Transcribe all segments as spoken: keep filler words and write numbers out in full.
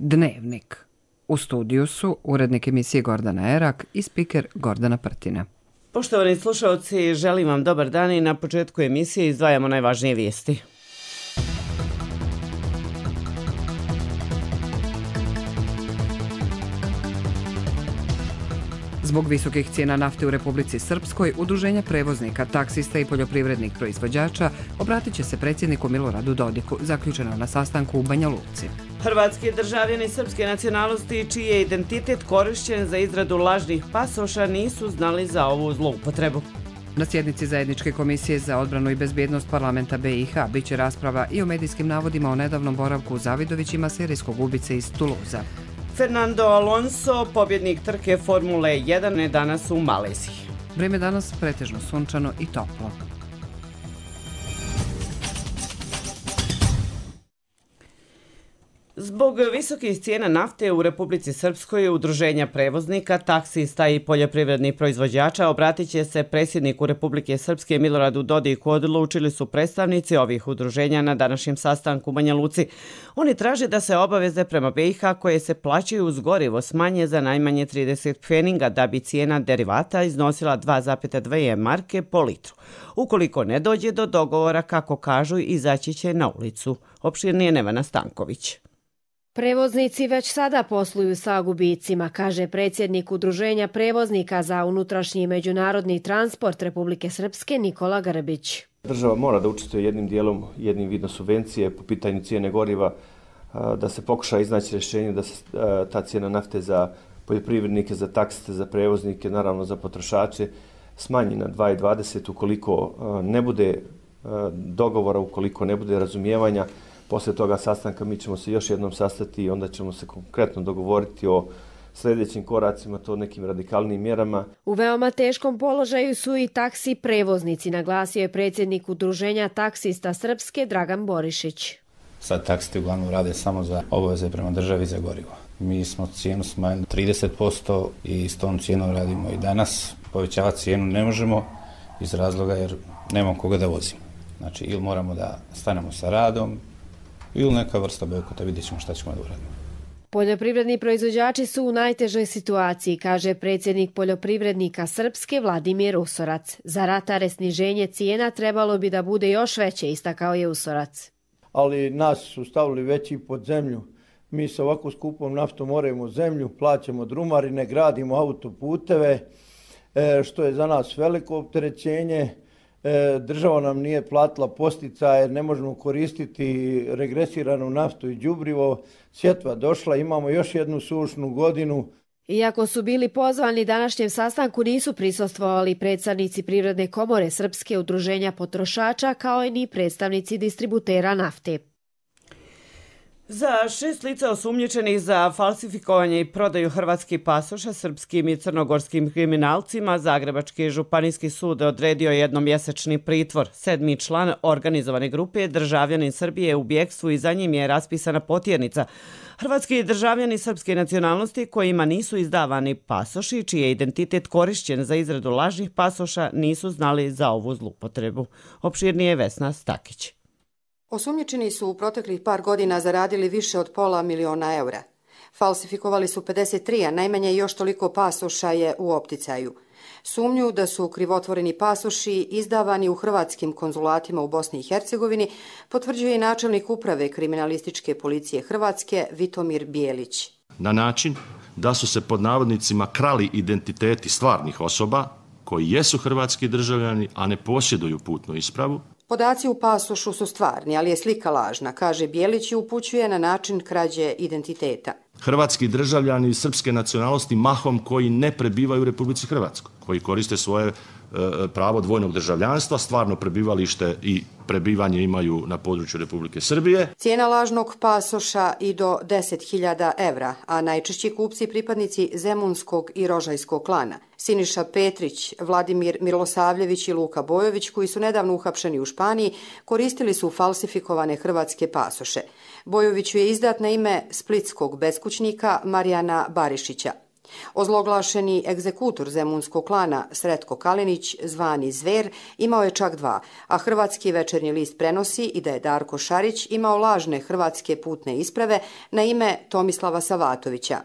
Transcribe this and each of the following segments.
Dnevnik. U studiju su urednik emisije Gordana Erak i spiker Gordana Prtina. Poštovani slušalci, želim vam dobar dan i na početku emisije izdvajamo najvažnije vijesti. Zbog visokih cijena nafte u Republici Srpskoj, udruženja prevoznika, taksista i poljoprivrednih proizvođača obratit će se predsjedniku Miloradu Dodiku, zaključeno na sastanku u Banja Luci. Hrvatski državljani srpske nacionalnosti čiji je identitet korišćen za izradu lažnih pasoša nisu znali za ovu zloupotrebu. Na sjednici Zajedničke komisije za odbranu i bezbjednost parlamenta B i H biće rasprava i o medijskim navodima o nedavnom boravku u Zavidovićima serijskog ubice iz Tuluza. Fernando Alonso, pobjednik trke Formule jedan, je danas u Maleziji. Vrijeme danas pretežno sunčano i toplo. Zbog visokih cijena nafte u Republici Srpskoj, udruženja prevoznika, taksista i poljoprivrednih proizvođača obratit će se predsjedniku Republike Srpske Miloradu Dodiku, odlučili su predstavnici ovih udruženja na današnjem sastanku u Banja Luci. Oni traže da se obaveze prema B i H koje se plaćaju uz gorivo smanje za najmanje trideset pfeninga da bi cijena derivata iznosila dva zarez dvije marke po litru. Ukoliko ne dođe do dogovora, kako kažu, izaći će na ulicu. Opširnije Nevena Stanković. Prevoznici već sada posluju sa gubicima, kaže predsjednik Udruženja prevoznika za unutrašnji i međunarodni transport Republike Srpske Nikola Grbić. Država mora da učestvuje jednim dijelom, jednim vidom subvencije po pitanju cijene goriva, da se pokuša iznaći rješenje da se ta cijena nafte za poljoprivrednike, za taksiste, za prevoznike, naravno za potrošače, smanji na dva zarez dvadeset ukoliko ne bude dogovora, ukoliko ne bude razumijevanja. Poslije toga sastanka mi ćemo se još jednom sastati i onda ćemo se konkretno dogovoriti o sljedećim koracima, to nekim radikalnim mjerama. U veoma teškom položaju su i taksi prevoznici, naglasio je predsjednik Udruženja taksista Srpske Dragan Borišić. Sad taksisti uglavnom rade samo za obaveze prema državi za gorivo. Mi smo cijenu smanjili trideset posto i s tom cijenom radimo i danas. Povećavati cijenu ne možemo iz razloga jer nemamo koga da vozimo. Znači ili moramo da stanemo sa radom ili neka vrsta bojkota, vidjet ćemo šta ćemo da uradimo. Poljoprivredni proizvođači su u najtežoj situaciji, kaže predsjednik poljoprivrednika Srpske Vladimir Usorac. Za ratare sniženje cijena trebalo bi da bude još veće, istakao je Usorac. Ali nas su stavili veći pod zemlju. Mi sa ovako skupom naftom moramo zemlju, plaćamo drumarine, gradimo autoputeve, što je za nas veliko opterećenje. Država nam nije platila posticaje, ne možemo koristiti regresiranu naftu i đubrivo. Sjetva došla, imamo još jednu sušnu godinu. Iako su bili pozvani današnjem sastanku, nisu prisustvovali predstavnici Privredne komore Srpske, udruženja potrošača, kao i ni predstavnici distributera nafte. Za šest lica osumnjičenih za falsifikovanje i prodaju hrvatskih pasoša srpskim i crnogorskim kriminalcima, Zagrebački županijski sud odredio jednomjesečni pritvor. Sedmi član organizovane grupe, državljanin Srbije u bjekstvu, i za njim je raspisana potjernica. Hrvatski državljani srpske nacionalnosti kojima nisu izdavani pasoši, čiji je identitet korišćen za izradu lažnih pasoša, nisu znali za ovu zloupotrebu. Opširnije Vesna Stakić. Osumnjičeni su u proteklih par godina zaradili više od pola miliona eura. Falsifikovali su pedeset tri, a najmanje još toliko pasoša je u opticaju. Sumnju da su krivotvoreni pasoši izdavani u hrvatskim konzulatima u Bosni i Hercegovini potvrđuje i načelnik uprave kriminalističke policije Hrvatske Vitomir Bijelić. Na način da su se pod navodnicima krali identiteti stvarnih osoba koji jesu hrvatski državljani, a ne posjeduju putnu ispravu. Podaci u pasošu su stvarni, ali je slika lažna, kaže Bijelić i upućuje na način krađe identiteta. Hrvatski državljani srpske nacionalnosti mahom koji ne prebivaju u Republici Hrvatskoj, koji koriste svoje e, pravo dvojnog državljanstva, stvarno prebivalište i prebivanje imaju na području Republike Srbije. Cijena lažnog pasoša i do deset hiljada evra, a najčešći kupci pripadnici zemunskog i rožajskog klana. Siniša Petrić, Vladimir Milosavljević i Luka Bojović, koji su nedavno uhapšeni u Španiji, koristili su falsifikovane hrvatske pasoše. Bojoviću je izdat na ime splitskog beskućnika Marijana Barišića. Ozloglašeni egzekutor zemunskog klana Sretko Kalinić, zvani Zver, imao je čak dva, a hrvatski Večernji list prenosi i da je Darko Šarić imao lažne hrvatske putne isprave na ime Tomislava Savatovića.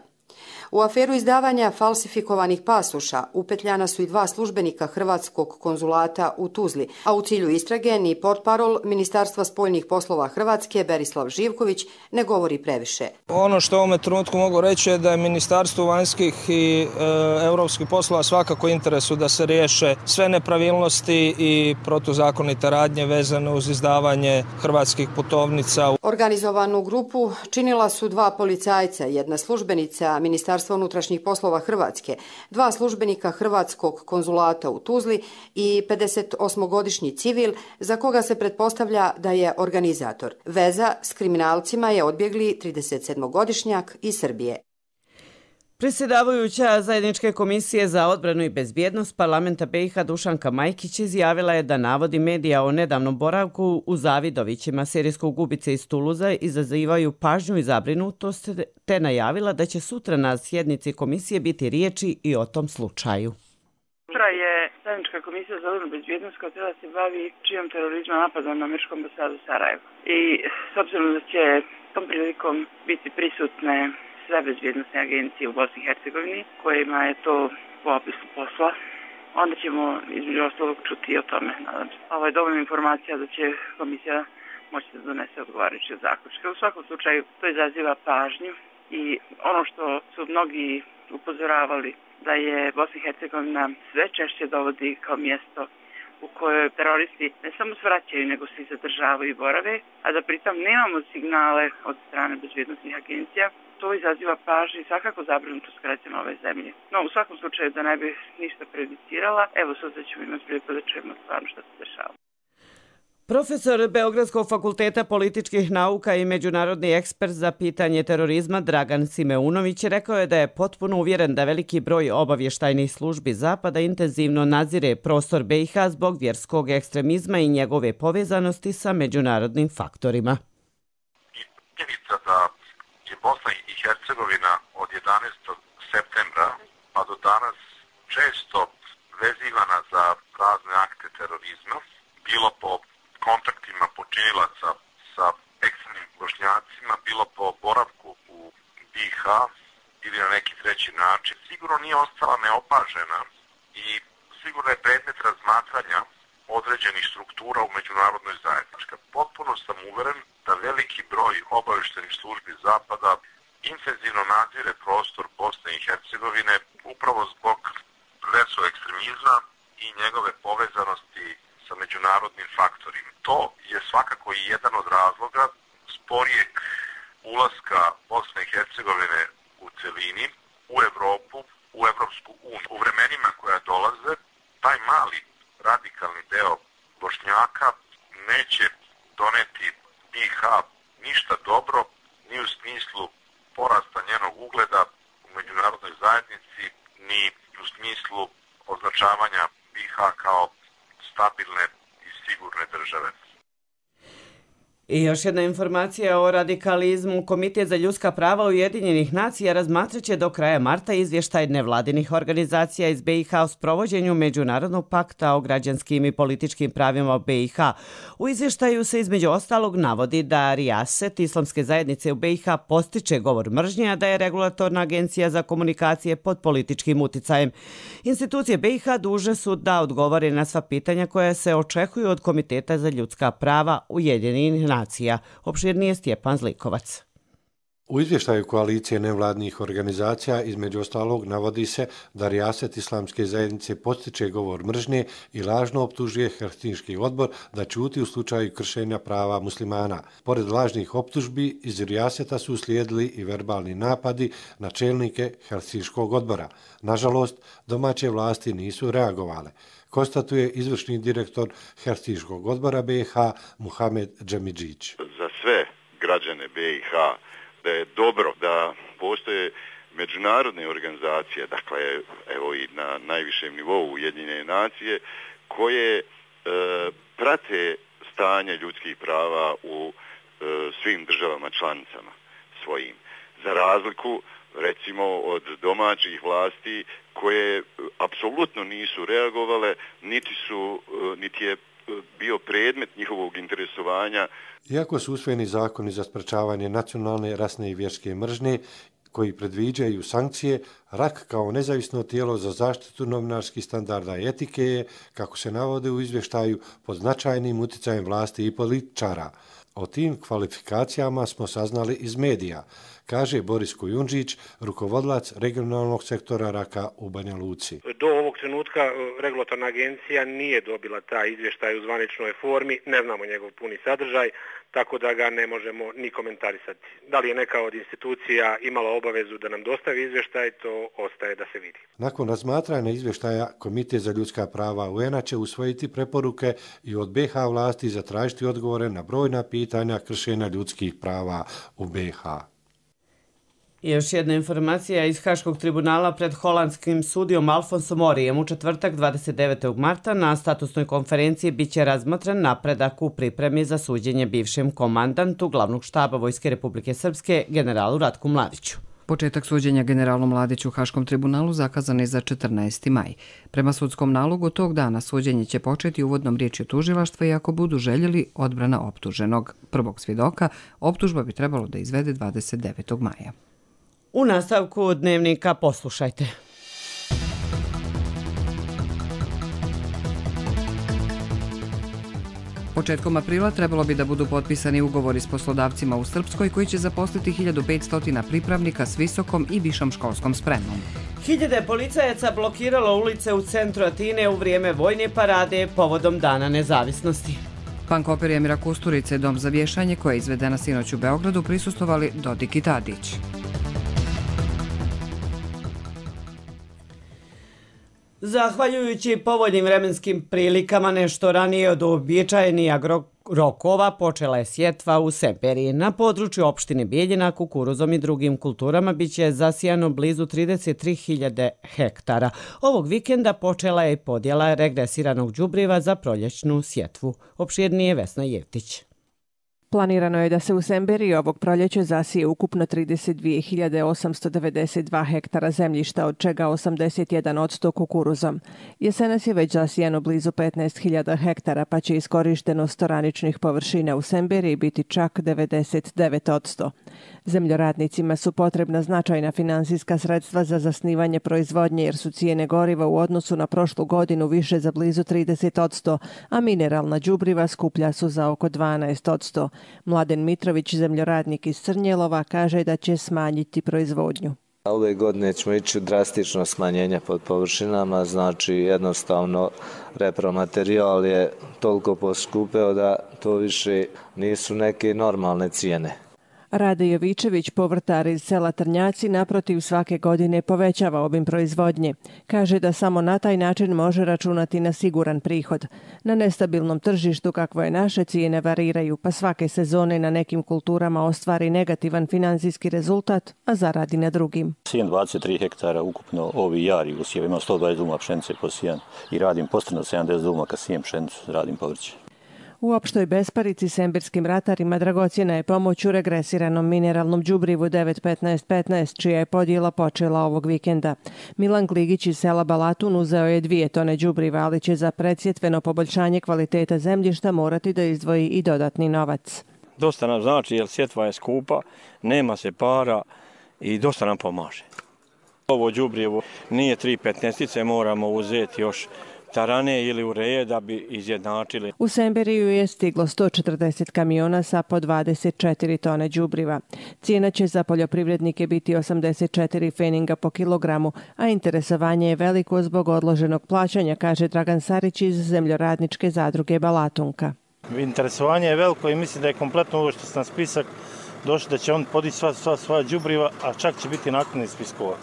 U aferu izdavanja falsifikovanih pasoša upetljana su i dva službenika Hrvatskog konzulata u Tuzli, a u cilju istrage ni portparol Ministarstva spoljnih poslova Hrvatske Berislav Živković ne govori previše. Ono što u ovome trenutku mogu reći je da je Ministarstvo vanjskih i e, europskih poslova svakako interesu da se riješe sve nepravilnosti i protuzakonite radnje vezane uz izdavanje hrvatskih putovnica. Organizovanu grupu činila su dva policajca, jedna službenica Ministarstva unutrašnjih poslova Hrvatske, dva službenika Hrvatskog konzulata u Tuzli i pedesetosmogodišnji civil za koga se pretpostavlja da je organizator. Veza s kriminalcima je odbjegli tridesetsedmogodišnjak iz Srbije. Predsjedavajuća Zajedničke komisije za odbranu i bezbjednost parlamenta B i H Dušanka Majkić izjavila je da navodi medija o nedavnom boravku u Zavidovićima serijskog ubice iz Tuluza izazivaju pažnju i zabrinutost, te najavila da će sutra na sjednici komisije biti riječi i o tom slučaju. Sutra je Zajednička komisija za odbranu i bezbjednost koja treba se bavi čijom terorizma napada na američkom ambasadu Sarajevo. I s obzirom da će tom prilikom biti prisutne sve bezbjednostne agencije u Bosni i Hercegovini, kojima je to po opisu posla, onda ćemo između ostalog čuti i o tome. Ovo je dovoljna informacija da će komisija moći da donese odgovarajuće zaključke. U svakom slučaju to izaziva pažnju i ono što su mnogi upozoravali da je Bosna i Hercegovina sve češće dovodi kao mjesto u kojoj teroristi ne samo svraćaju, nego se i zadržavaju i borave, a da pritom nemamo signale od strane bezbjednostnih agencija. To izaziva pažnju i svakako zabrinutost građana ove zemlje. No, u svakom slučaju, da ne bih ništa prejudicirala, evo sutra ćemo imati priliku da čujemo stvarno što se dešava. Profesor Beogradskog fakulteta političkih nauka i međunarodni ekspert za pitanje terorizma Dragan Simeunović rekao je da je potpuno uvjeren da veliki broj obavještajnih službi Zapada intenzivno nadzire prostor B i H zbog vjerskog ekstremizma i njegove povezanosti sa međunarodnim faktorima. Činjenica da je Bosna i Hercegovina od jedanaestog septembra pa do danas često vezivana za razne akte terorizma, bilo po kontaktima počinilaca sa ekstremnim Bošnjacima, bilo po boravku u B i H ili na neki treći način, sigurno nije ostala neopažena i sigurno je predmet razmatranja određenih struktura u međunarodnoj zajednici. Potpuno sam uveren da veliki broj obavještajnih službi Zapada intenzivno nadzire prostor Bosne i Hercegovine upravo zbog verskog ekstremizma i njegove povezanosti sa međunarodnim faktorima. To je svakako i jedan od razloga sporijeg ulaska Bosne i Hercegovine u celini, u Evropu, u Evropsku uniju. U vremenima koja dolaze, taj mali radikalni deo Bošnjaka neće doneti B i H ništa dobro, ni u smislu porasta njenog ugleda u međunarodnoj zajednici, ni u smislu označavanja B i H kao stabilne i sigurne države. I još jedna informacija o radikalizmu. Komitet za ljudska prava Ujedinjenih nacija razmatrat će do kraja marta izvještaj nevladinih organizacija iz B i H o sprovođenju Međunarodnog pakta o građanskim i političkim pravima B i H. U izvještaju se između ostalog navodi da Rijaset islamske zajednice u B i H postiče govor mržnje, a da je regulatorna agencija za komunikacije pod političkim uticajem. Institucije B i H dužne su da odgovore na sva pitanja koja se očekuju od Komiteta za ljudska prava Ujedinjenih nacija. Opširnije Stjepan Zlikovac. U izvještaju koalicije nevladnih organizacija između ostalog navodi se da Rijaset islamske zajednice postiče govor mržnje i lažno optužuje Helsinški odbor da ćuti u slučaju kršenja prava muslimana. Pored lažnih optužbi, iz Rijaseta su uslijedili i verbalni napadi na čelnike Helsinškog odbora. Nažalost, domaće vlasti nisu reagovale, konstatuje izvršni direktor Helsinškog odbora B i H Muhamed Džemidžić. Za sve građane B i H da je dobro da postoje međunarodne organizacije, dakle evo i na najvišem nivou Ujedinjene nacije, koje e, prate stanje ljudskih prava u e, svim državama članicama svojim. Za razliku recimo od domaćih vlasti koje apsolutno nisu reagovale, niti su, niti je bio predmet njihovog interesovanja. Iako su usvojeni zakoni za sprečavanje nacionalne, rasne i vjerske mržnje, koji predviđaju sankcije, R A K kao nezavisno tijelo za zaštitu novinarskih standarda i etike je, kako se navode u izvještaju, pod značajnim utjecajem vlasti i političara. O tim kvalifikacijama smo saznali iz medija, kaže Boris Kujundžić, rukovodilac regionalnog sektora R A K-a u Banja Luci. Do ovog trenutka regulatorna agencija nije dobila taj izvještaj u zvaničnoj formi, ne znamo njegov puni sadržaj, tako da ga ne možemo ni komentarisati. Da li je neka od institucija imala obavezu da nam dostavi izvještaj, to ostaje da se vidi. Nakon razmatranja izvještaja, Komitet za ljudska prava U N-a će usvojiti preporuke i od B H vlasti zatražiti odgovore na brojna pitanja kršenja ljudskih prava u B H. Još jedna informacija iz Haškog tribunala pred holandskim sudijom Alfonsom Orijem u četvrtak dvadeset devetog marta na statusnoj konferenciji biće razmotren napredak u pripremi za suđenje bivšem komandantu glavnog štaba Vojske Republike Srpske, generalu Ratku Mladiću. Početak suđenja generalu Mladiću u Haškom tribunalu zakazan je za četrnaesti maj. Prema sudskom nalogu tog dana suđenje će početi uvodnom riječju tužilaštva i ako budu željeli odbrana optuženog. Prvog svjedoka optužba bi trebalo da izvede dvadeset devetog maja. U nastavku dnevnika poslušajte. Početkom aprila trebalo bi da budu potpisani ugovori s poslodavcima u Srpskoj koji će zaposliti hiljadu petsto pripravnika s visokom i višom školskom spremom. Hiljade policajaca blokiralo ulice u centru Atine u vrijeme vojne parade povodom Dana nezavisnosti. Punk operi Emira Kusturice, dom za vješanje koja je izvedena sinoć u Beogradu, prisustvovali Dodik i Tadić. Zahvaljujući povoljnim vremenskim prilikama nešto ranije od uobičajenih rokova počela je sjetva u Semperiji. Na području opštine Bijeljina kukuruzom i drugim kulturama biće zasijano blizu trideset tri hiljade hektara. Ovog vikenda počela je i podjela regresiranog đubriva za proljećnu sjetvu. Opširnije Vesna Jevtić. Planirano je da se u Semberiji ovog proljeća zasije ukupno trideset dvije hiljade osamsto devedeset dva hektara zemljišta, od čega osamdeset jedan posto kukuruzom. Jesenas je već zasijano blizu petnaest hiljada hektara, pa će iskorištenost oraničnih površina u Semberiji biti čak devedeset devet posto. Zemljoradnicima su potrebna značajna finansijska sredstva za zasnivanje proizvodnje, jer su cijene goriva u odnosu na prošlu godinu više za blizu trideset posto, a mineralna đubriva skuplja su za oko dvanaest posto. Mladen Mitrović, zemljoradnik iz Crnjelova, kaže da će smanjiti proizvodnju. Ove godine ćemo ići drastično smanjenje pod površinama, znači jednostavno repromaterijal je toliko poskupeo da to više nisu neke normalne cijene. Rade Jovičević, povrtar iz sela Trnjaci, naprotiv svake godine povećava obim proizvodnje. Kaže da samo na taj način može računati na siguran prihod. Na nestabilnom tržištu kakvo je naše, cijene variraju, pa svake sezone na nekim kulturama ostvari negativan financijski rezultat, a zaradi na drugim. Sijem dvadeset tri hektara ukupno ovi jari usjev, imam sto dvadeset duma pšenice po sijan i radim postrano sedamdeset duma kad sijem pšenicu, radim povrće. U opštoj besparici sembirskim ratarima dragocjena je pomoć u regresiranom mineralnom đubrivu devet petnaest petnaest, čija je podjela počela ovog vikenda. Milan Gligić iz sela Balatun uzeo je dvije tone đubriva, ali će za predsjetveno poboljšanje kvaliteta zemljišta morati da izdvoji i dodatni novac. Dosta nam znači, jer sjetva je skupa, nema se para i dosta nam pomaže. Ovo đubrivo nije tri petnaestice, moramo uzeti još tarane ili ureje da bi izjednačili. U Semberiju je stiglo sto četrdeset kamiona sa po dvadeset četiri tone đubriva. Cijena će za poljoprivrednike biti osamdeset četiri feninga po kilogramu, a interesovanje je veliko zbog odloženog plaćanja, kaže Dragan Sarić iz zemljoradničke zadruge Balatunka. Interesovanje je veliko i mislim da je kompletno ovo što sam na spisak došlo da će on podići sva, sva svoja đubriva, a čak će biti naknadni spiskova.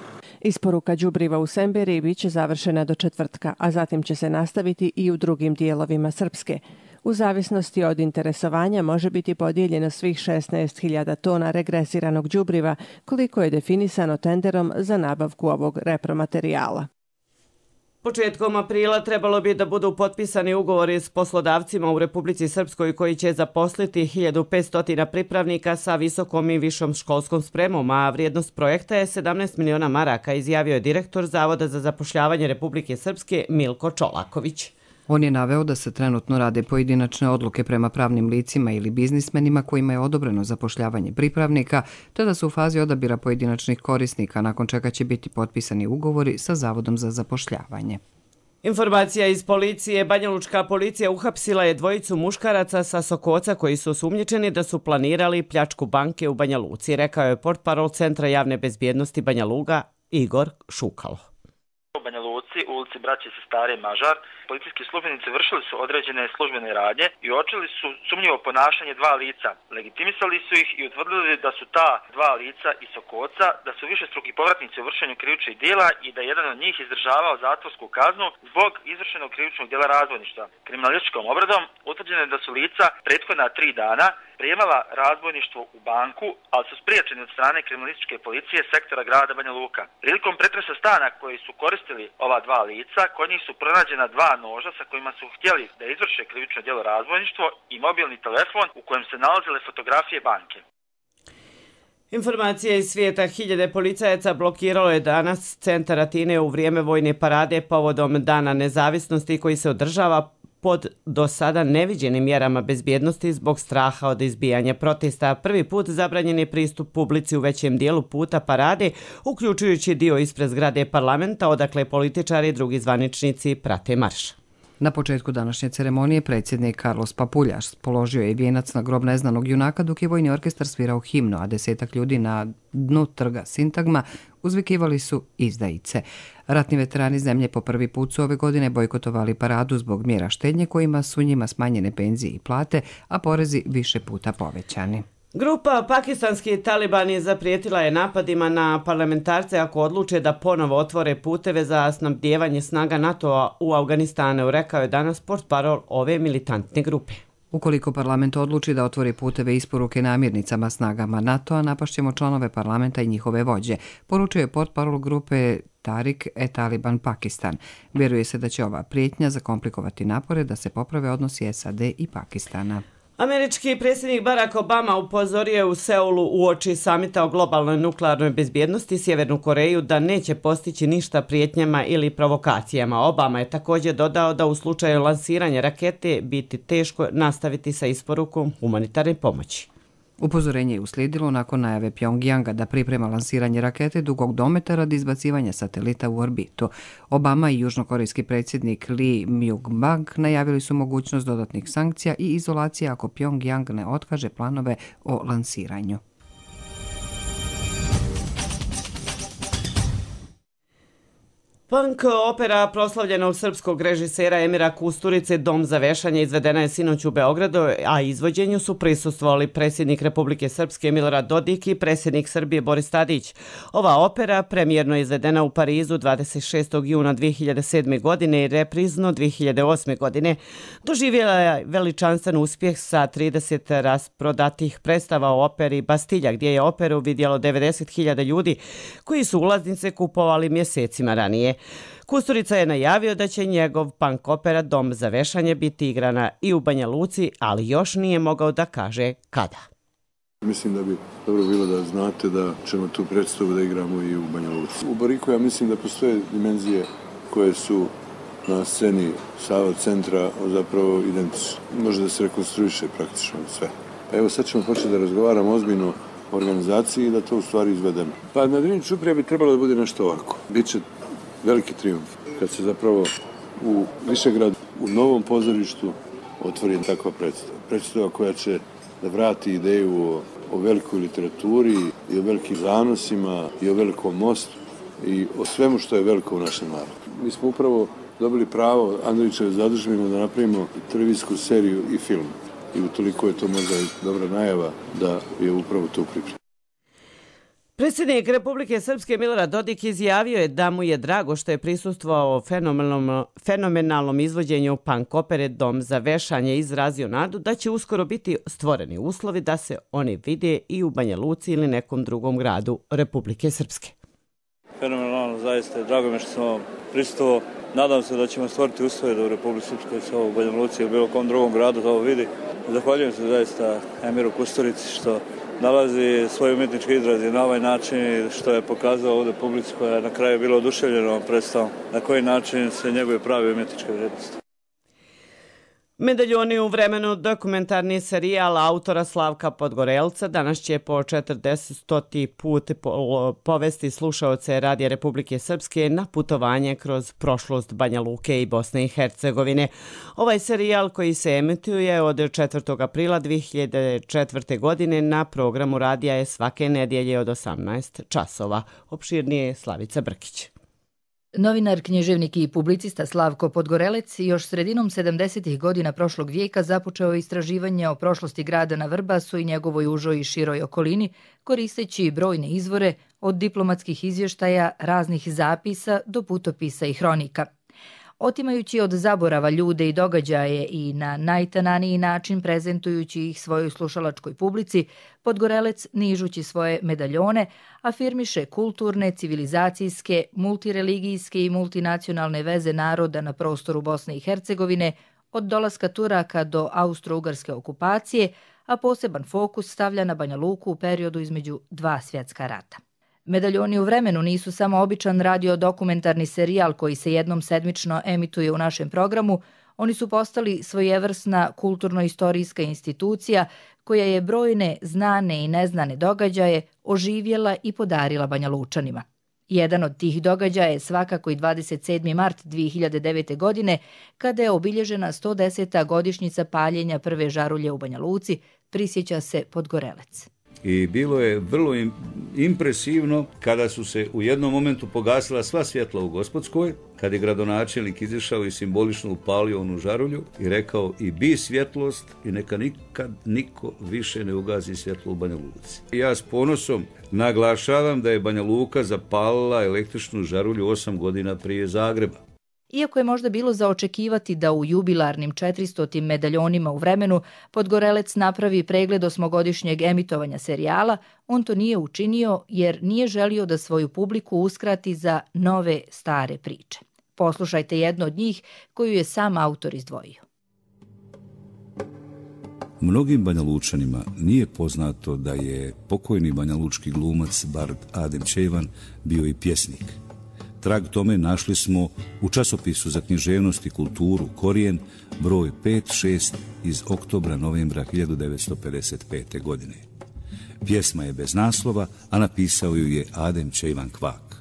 Isporuka đubriva u Semberiji biće završena do četvrtka, a zatim će se nastaviti i u drugim dijelovima Srpske. U zavisnosti od interesovanja može biti podijeljeno svih šesnaest hiljada tona regresiranog đubriva, koliko je definisano tenderom za nabavku ovog repromaterijala. Početkom aprila trebalo bi da budu potpisani ugovori s poslodavcima u Republici Srpskoj koji će zaposliti hiljadu petsto pripravnika sa visokom i višom školskom spremom, a vrijednost projekta je sedamnaest miliona maraka, izjavio je direktor Zavoda za zapošljavanje Republike Srpske Milko Čolaković. On je naveo da se trenutno rade pojedinačne odluke prema pravnim licima ili biznismenima kojima je odobreno zapošljavanje pripravnika, te da su u fazi odabira pojedinačnih korisnika, nakon čega će biti potpisani ugovori sa Zavodom za zapošljavanje. Informacija iz policije. Banjalučka policija uhapsila je dvojicu muškaraca sa Sokoca koji su osumnjičeni da su planirali pljačku banke u Banja Luci, rekao je portparol Centra javne bezbjednosti Banja Luga Igor Šukalo. U Banja Luci, u ulici Braće Sestare Mažar, policijski službenici vršili su određene službene radnje i uočili su sumnjivo ponašanje dva lica. Legitimisali su ih i utvrdili da su ta dva lica iz Sokoca, da su višestruki povratnici u vršenju krivičnih djela i da je jedan od njih izdržavao zatvorsku kaznu zbog izvršenog krivičnog djela razbojništva. Kriminalističkom obradom utvrđeno je da su lica prethodna tri dana prijemala razbojništvo u banku, ali su spriječeni od strane kriminalističke policije sektora grada Banja Luka. Prilikom pretresa stana koji su koristili ova dva lica, kod njih su pronađena dva noža sa kojima su htjeli da izvrše krivično djelo razbojništvo i mobilni telefon u kojem se nalazile fotografije banke. Informacije iz svijeta. Hiljade policajaca blokiralo je danas centar Atine u vrijeme vojne parade povodom Dana nezavisnosti koji se održava pod do sada neviđenim mjerama bezbjednosti zbog straha od izbijanja protesta. Prvi put zabranjen je pristup publici u većem dijelu puta parade, uključujući dio ispred zgrade parlamenta, odakle političari i drugi zvaničnici prate marš. Na početku današnje ceremonije predsjednik Carlos Papuljas položio je vijenac na grob neznanog junaka dok je vojni orkestar svirao himnu, a desetak ljudi na dnu trga Sintagma uzvikivali su izdajice. Ratni veterani zemlje po prvi put su ove godine bojkotovali paradu zbog mjera štednje kojima su njima smanjene penzije i plate, a porezi više puta povećani. Grupa pakistanski talibani zaprijetila je napadima na parlamentarce ako odluče da ponovo otvore puteve za snabdijevanje snaga NATO-a u Afganistanu, rekao je danas portparol ove militantne grupe. Ukoliko parlament odluči da otvori puteve isporuke namirnicama snagama NATO-a, napašćemo članove parlamenta i njihove vođe, poručuje portparol grupe Tarik e Taliban Pakistan. Vjeruje se da će ova prijetnja zakomplikovati napore da se poprave odnosi S A D i Pakistana. Američki predsjednik Barack Obama upozorio je u Seulu uoči samita o globalnoj nuklearnoj bezbjednosti Sjevernu Koreju da neće postići ništa prijetnjama ili provokacijama. Obama je također dodao da u slučaju lansiranja rakete biti teško nastaviti sa isporukom humanitarne pomoći. Upozorenje je uslijedilo nakon najave Pjongjanga da priprema lansiranje rakete dugog dometa radi izbacivanja satelita u orbitu. Obama i južnokorejski predsjednik Lee Myung-bak najavili su mogućnost dodatnih sankcija i izolacije ako Pjongjang ne otkaže planove o lansiranju. Punk opera proslavljenog srpskog režisera Emira Kusturice Dom za vešanje izvedena je sinoć u Beogradu, a izvođenju su prisustvovali predsjednik Republike Srpske Milorad Dodik i predsjednik Srbije Boris Tadić. Ova opera premijerno je izvedena u Parizu dvadeset šestog juna dvije hiljade sedme. godine i reprizno dvije hiljade osme. godine. Doživjela je veličanstven uspjeh sa trideset rasprodatih predstava u operi Bastilja, gdje je operu vidjelo devedeset hiljada ljudi koji su ulaznice kupovali mjesecima ranije. Kusturica je najavio da će njegov punk opera Dom za vešanje biti igrana i u Banja Luci, ali još nije mogao da kaže kada. Mislim da bi dobro bilo da znate da ćemo tu predstavu da igramo i u Banja Luci. U Bariku ja mislim da postoje dimenzije koje su na sceni Sava centra zapravo identične. Može da se rekonstruiše praktično sve. Evo sad ćemo početi da razgovaramo ozbiljno o organizaciji i da to u stvari izvedemo. Pa na Drini Čuprija bi trebalo da bude nešto ovako. Biće veliki trijumf kad se zapravo u Višegradu, u novom pozorištu otvori takva predstava. Predstava koja će da vrati ideju o, o velikoj literaturi i o velikim zanosima i o velikom mostu i o svemu što je veliko u našem narodu. Mi smo upravo dobili pravo Andrićeve zadužbine da napravimo televizijsku seriju i film. I utoliko je to možda dobra najava da je upravo to pripremljeno. Predsjednik Republike Srpske Milorad Dodik izjavio je da mu je drago što je prisustvovao fenomenalnom, fenomenalnom izvođenju punk opere Dom za vešanje i izrazio nadu da će uskoro biti stvoreni uslovi da se oni vide i u Banja Luci ili nekom drugom gradu Republike Srpske. Fenomenalno, zaista. Drago mi što sam prisustvovao Nadam se da ćemo stvoriti uslove da u Republici Srpskoj se ovo u Banja Luci ili bilo kom drugom gradu to vidi. Zahvaljujem se zaista Emiru Kusturici što nalazi svoj umjetnički izraz na ovaj način, što je pokazao ovdje publici koja je na kraju bila oduševljena ovom predstavom, na koji način se njegove pravi umjetničke vrijednosti. Medaljoni u vremenu dokumentarni serijal autora Slavka Podgorelca danas će po četrdeseti put povesti slušaoce Radija Republike Srpske na putovanje kroz prošlost Banja Luke i Bosne i Hercegovine. Ovaj serijal koji se emituje od četvrtog aprila dve hiljade četvrte. godine na programu radija je svake nedjelje od osamnaest časova. Opširnije je Slavica Brkić. Novinar, književnik i publicista Slavko Podgorelec još sredinom sedamdesetih godina prošlog vijeka započeo istraživanje o prošlosti grada na Vrbasu i njegovoj užoj i široj okolini, koristeći brojne izvore od diplomatskih izvještaja, raznih zapisa do putopisa i hronika. Otimajući od zaborava ljude i događaje i na najtananiji način prezentujući ih svojoj slušalačkoj publici, Podgorelec, nižući svoje medaljone, afirmiše kulturne, civilizacijske, multireligijske i multinacionalne veze naroda na prostoru Bosne i Hercegovine, od dolaska Turaka do austro-ugarske okupacije, a poseban fokus stavlja na Banja Luku u periodu između dva svjetska rata. Medaljoni u vremenu nisu samo običan radio-dokumentarni serijal koji se jednom sedmično emituje u našem programu, oni su postali svojevrsna kulturno-istorijska institucija koja je brojne znane i neznane događaje oživjela i podarila Banja Lučanima. Jedan od tih događaja je svakako i dvadeset sedmi mart dve hiljade devete. godine, kada je obilježena sto deseta godišnjica paljenja prve žarulje u Banja Luci, prisjeća se Podgorelec. I bilo je vrlo impresivno kada su se u jednom momentu pogasila sva svjetla u Gospodskoj, kad je gradonačelnik izišao i simbolično upalio onu žarulju i rekao i bi svjetlost i neka nikad niko više ne ugazi svjetlo u Banja Luci. Ja s ponosom naglašavam da je Banja Luka zapalila električnu žarulju osam godina prije Zagreba. Iako je možda bilo za očekivati da u jubilarnim četiristotim medaljonima u vremenu Podgorelec napravi pregled osmogodišnjeg emitovanja serijala, on to nije učinio jer nije želio da svoju publiku uskrati za nove stare priče. Poslušajte jednu od njih koju je sam autor izdvojio. Mnogim Banja Lučanima nije poznato da je pokojni banjalučki glumac bard Adem Čejvan bio i pjesnik. Trag tome našli smo u časopisu za književnost i kulturu Korijen, broj pet šest iz oktobra-novembra hiljadu devetsto pedeset pete. godine. Pjesma je bez naslova, a napisao ju je Adem Čejvan Kvak.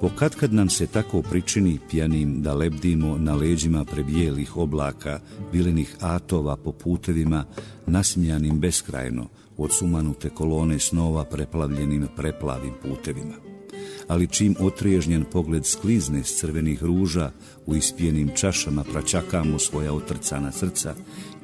Pokatkad nam se tako pričini pjanim da lebdimo na leđima prebijelih oblaka, vilenih atova po putevima, nasmijanim beskrajno od sumanute kolone snova preplavljenim preplavim putevima. Ali čim otriježnjen pogled sklizne s crvenih ruža, u ispijenim čašama praćakamo svoja otrcana srca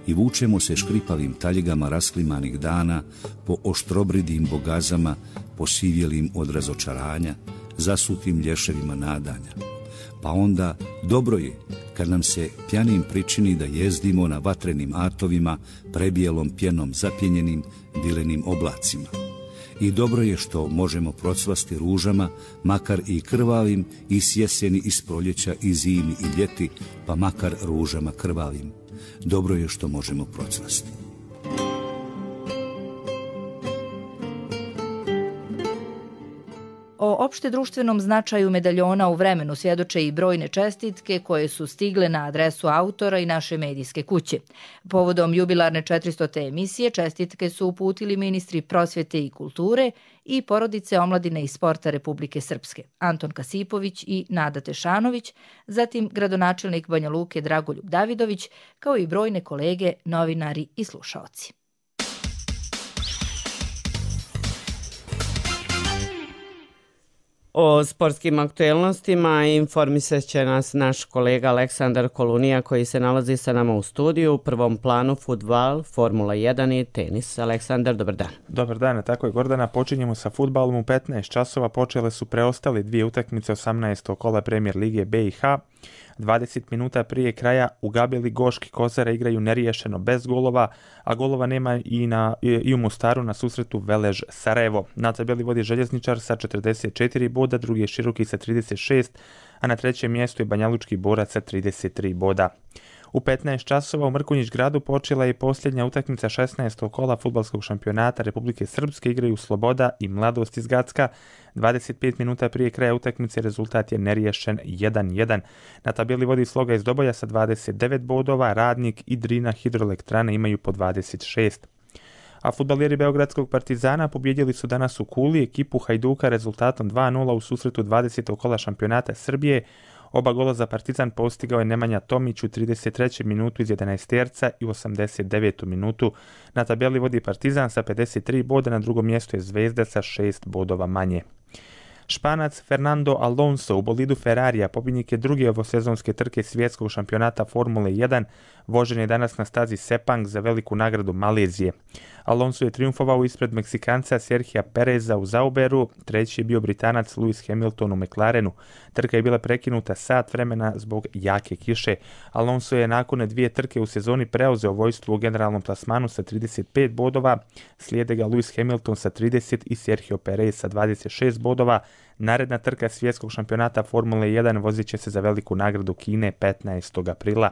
i vučemo se škripavim taljigama rasklimanih dana po oštrobridim bogazama, posivjelim od razočaranja, zasutim lješevima nadanja. Pa onda dobro je kad nam se pjanim pričini da jezdimo na vatrenim atovima, prebijelom pjenom zapjenjenim vilenim oblacima. I dobro je što možemo procvasti ružama, makar i krvavim, i s jeseni, i s proljeća, i zimi, i ljeti, pa makar ružama krvavim. Dobro je što možemo procvasti. O opšte društvenom značaju medaljona u vremenu svjedoče i brojne čestitke koje su stigle na adresu autora i naše medijske kuće. Povodom jubilarne četiristote emisije čestitke su uputili ministri prosvjete i kulture i porodice omladine i sporta Republike Srpske, Anton Kasipović i Nada Tešanović, zatim gradonačelnik Banja Luke Dragoljub Davidović, kao i brojne kolege, novinari i slušaoci. O sportskim aktuelnostima informisat će nas naš kolega Aleksandar Kolunija koji se nalazi sa nama u studiju. U prvom planu fudbal, Formula jedan i tenis. Aleksandar, dobar dan. Dobar dan, tako je Gordana. Počinjemo sa fudbalom. U petnaest časova počele su preostale dvije utakmice osamnaestog kola Premier Lige B i H. dvadeset minuta prije kraja u Gabeli Goški Kozara igraju neriješeno bez golova, a golova nema i, na, i u Mostaru na susretu Velež Sarajevo. Na tabeli vodi Željezničar sa četrdeset četiri boda, drugi je Široki sa trideset šest, a na trećem mjestu je Banjalučki Borac sa trideset tri boda. U petnaest časova u Mrkonjić gradu počela je posljednja utakmica šesnaestog kola fudbalskog šampionata Republike Srpske, igraju Sloboda i Mladost iz Gacka. dvadeset pet minuta prije kraja utakmice rezultat je neriješen jedan jedan. Na tabeli vodi Sloga iz Doboja sa dvadeset devet bodova, Radnik i Drina Hidroelektrane imaju po dvadeset šest. A fudbaleri Beogradskog Partizana pobjedili su danas u Kuli ekipu Hajduka rezultatom dva nula u susretu dvadesetog kola šampionata Srbije. Oba gola za Partizan postigao je Nemanja Tomić u trideset trećoj minutu iz jedanaesterca i u osamdeset devetoj minutu. Na tabeli vodi Partizan sa pedeset tri boda, na drugom mjestu je Zvezda sa šest bodova manje. Španac Fernando Alonso u bolidu Ferrarija, pobjednik je druge ovosezonske trke svjetskog šampionata Formule jedan, vožen je danas na stazi Sepang za veliku nagradu Malezije. Alonso je triumfovao ispred Meksikanca Serhija Pereza u Zauberu, treći je bio Britanac Lewis Hamilton u McLarenu. Trka je bila prekinuta sat vremena zbog jake kiše. Alonso je nakon dvije trke u sezoni preuzeo vojstvo u generalnom plasmanu sa trideset pet bodova, slijede ga Lewis Hamilton sa trideset i Sergio Perez sa dvadeset šest bodova. Naredna trka svjetskog šampionata Formule jedan vozit će se za veliku nagradu Kine petnaestog aprila.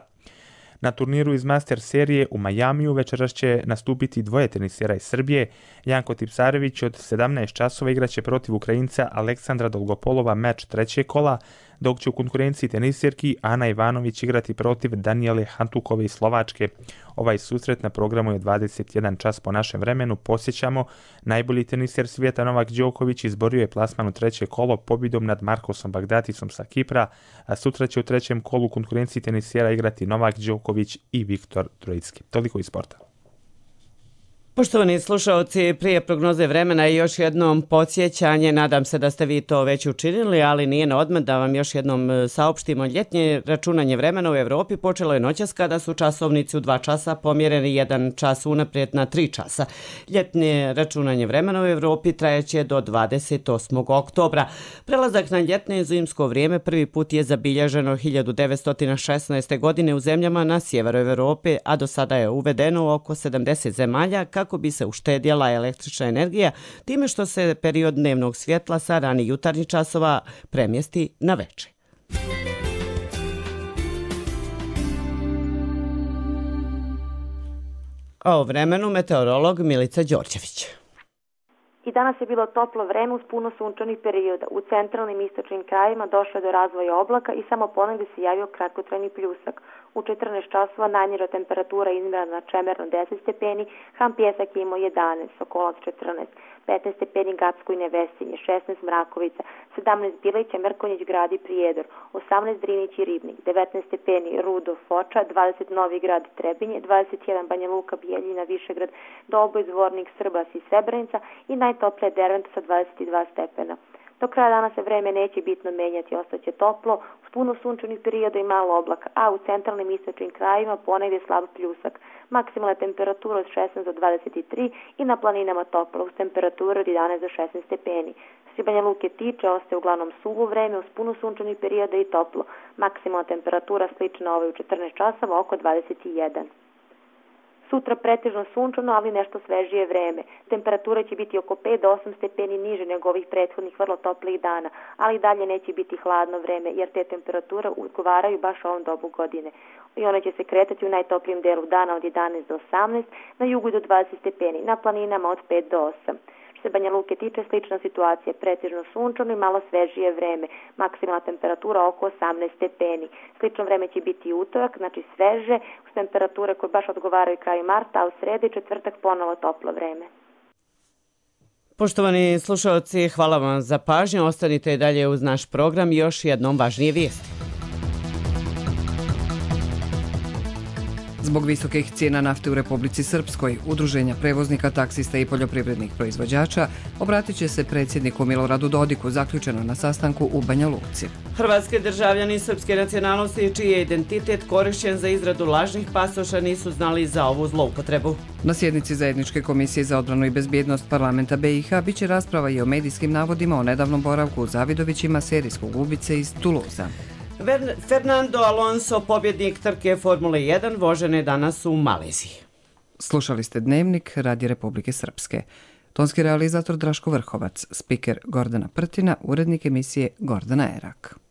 Na turniru iz Master serije u Majamiju večeras će nastupiti dvoje tenisera iz Srbije. Janko Tipsarević od sedamnaest časova igraće protiv Ukrajinca Aleksandra Dolgopolova meč trećeg kola, dok će u konkurenciji tenisirki Ana Ivanović igrati protiv Danijele Hantukove iz Slovačke. Ovaj susret na programu je dvadeset jedan čas po našem vremenu. Posjećamo, najbolji tenisir svijeta Novak Đoković izborio je plasman u treće kolo pobjedom nad Markosom Bagdatisom sa Kipra, a sutra će u trećem kolu konkurenciji tenisira igrati Novak Đoković i Viktor Trojicki. Toliko iz sporta. Poštovani slušalci, prije prognoze vremena i još jednom podsjećanje, nadam se da ste vi to već učinili, ali nije na odmet da vam još jednom saopštimo. Ljetnje računanje vremena u Evropi počelo je noćas kada su časovnici u dva časa pomjereni jedan čas unaprijed na tri časa. Ljetnje računanje vremena u Evropi trajeće do dvadeset osmog oktobra. Prelazak na ljetne i zimsko vrijeme prvi put je zabilježeno hiljadu devetsto šesnaeste. godine u zemljama na sjeveru Evrope, a do sada je uvedeno u oko sedamdeset zemalja kako bi se uštedjela električna energija time što se period dnevnog svjetla sa ranih jutarnjih časova premjesti na veče. A o vremenu meteorolog Milica Đorđević. I danas je bilo toplo vreme uz puno sunčanih perioda. U centralnim i istočnim krajevima došlo je do razvoja oblaka i samo ponegdje se javio kratkotrajni pljusak. U četrnaest časova najniža temperatura izmjerena na Čemerno deset stepeni, Ham Pjesak je imao jedanaest, Sokolac četrnaest, petnaest stepeni Gacko i Nevesinje, šesnaest Mrakovica, sedamnaest Bilića, Mrkonjić grad i Prijedor, osamnaest Drinić i Ribnik, devetnaest stepeni Rudov, Foča, dvadeset Novi grad i Trebinje, dvadeset jedan Banja Luka, Bijeljina, Višegrad, Doboj, Zvornik, Srbas i Srebrenica i najtoplije Derventa sa dvadeset dva stepena. Do kraja dana se vreme neće bitno menjati, ostaće toplo, uz puno sunčanih perioda i malo oblaka, a u centralnim i istočnim krajevima ponegdje slab pljusak. Maksimalna temperatura od šesnaest do dvadeset tri i na planinama toplo, uz temperaturu od jedanaest do šesnaest stepeni. Što se Banja Luke tiče, ostaje uglavnom suvo vreme, uz puno sunčanih perioda i toplo. Maksimalna temperatura slična ovoj u četrnaest časova, oko dvadeset jedan. Sutra pretežno sunčano, ali nešto svežije vreme. Temperatura će biti oko pet do osam stepeni niže nego ovih prethodnih vrlo toplih dana, ali dalje neće biti hladno vreme, jer te temperature odgovaraju baš ovom dobu godine. I one će se kretati u najtoplijem delu dana od jedanaest do osamnaest, na jugu do dvadeset stepeni, na planinama od pet do osam. Što se Banja Luke tiče, slična situacija, pretežno sunčano i malo svežije vreme, maksimalna temperatura oko osamnaest stepeni. Slično vreme će biti i utorak, znači sveže, uz temperature koje baš odgovaraju kraju marta, a u sredi i četvrtak ponovo toplo vreme. Poštovani slušalci, hvala vam za pažnju, ostanite dalje uz naš program i još jednom važnije vijesti. Zbog visokih cijena nafte u Republici Srpskoj, udruženja prevoznika, taksista i poljoprivrednih proizvođača obratit će se predsjedniku Miloradu Dodiku, zaključeno na sastanku u Banja Luci. Hrvatski državljani srpske nacionalnosti čiji je identitet korišćen za izradu lažnih pasoša nisu znali za ovu zloupotrebu. Na sjednici Zajedničke komisije za odbranu i bezbjednost parlamenta B i H biće rasprava i o medijskim navodima o nedavnom boravku u Zavidovićima serijskog ubice iz Tuluza. Fernando Alonso, pobjednik trke Formule jedan, vožen je danas u Maleziji. Slušali ste Dnevnik Radija Republike Srpske. Tonski realizator Draško Vrhovac, spiker Gordana Prtina, urednik emisije Gordana Erak.